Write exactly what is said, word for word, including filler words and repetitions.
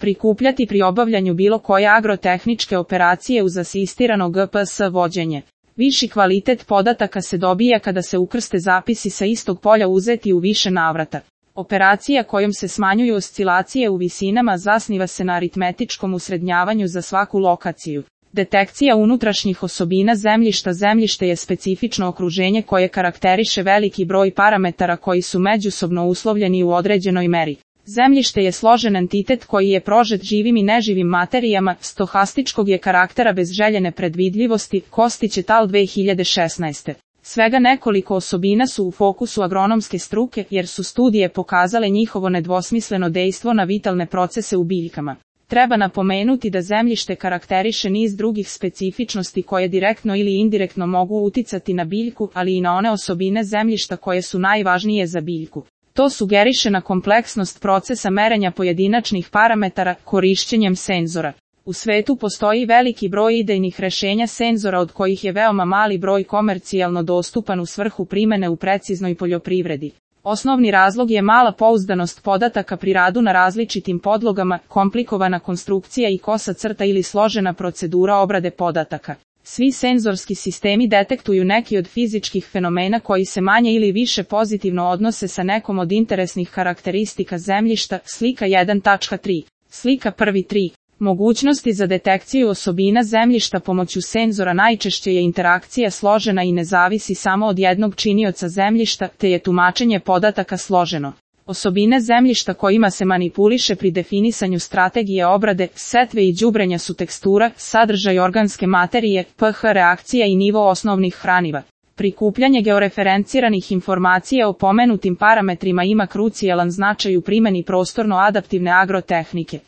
prikupljati pri obavljanju bilo koje agrotehničke operacije uz asistirano G P S vođenje. Viši kvalitet podataka se dobija kada se ukrste zapisi sa istog polja uzeti u više navrata. Operacija kojom se smanjuju oscilacije u visinama zasniva se na aritmetičkom usrednjavanju za svaku lokaciju. Detekcija unutrašnjih osobina zemljišta. Zemljište je specifično okruženje koje karakteriše veliki broj parametara koji su međusobno uslovljeni u određenoj meri. Zemljište je složen entitet koji je prožet živim i neživim materijama, stohastičkog je karaktera bez željene predvidljivosti, Kostić et al. dve hiljade šesnaeste. Svega nekoliko osobina su u fokusu agronomske struke jer su studije pokazale njihovo nedvosmisleno dejstvo na vitalne procese u biljkama. Treba napomenuti da zemljište karakteriše niz drugih specifičnosti koje direktno ili indirektno mogu uticati na biljku, ali i na one osobine zemljišta koje su najvažnije za biljku. To sugeriše na kompleksnost procesa merenja pojedinačnih parametara korišćenjem senzora. U svetu postoji veliki broj idejnih rešenja senzora od kojih je veoma mali broj komercijalno dostupan u svrhu primene u preciznoj poljoprivredi. Osnovni razlog je mala pouzdanost podataka pri radu na različitim podlogama, komplikovana konstrukcija i kosa crta ili složena procedura obrade podataka. Svi senzorski sistemi detektuju neki od fizičkih fenomena koji se manje ili više pozitivno odnose sa nekom od interesnih karakteristika zemljišta. Slika jedan tačka tri. Slika prvi tri. Mogućnosti za detekciju osobina zemljišta pomoću senzora. Najčešće je interakcija složena i ne zavisi samo od jednog činioca zemljišta, te je tumačenje podataka složeno. Osobine zemljišta kojima se manipuliše pri definisanju strategije obrade, setve i đubrenja su tekstura, sadržaj organske materije, pH reakcija i nivo osnovnih hraniva. Prikupljanje georeferenciranih informacija o pomenutim parametrima ima krucijalan značaj u primjeni prostorno-adaptivne agrotehnike.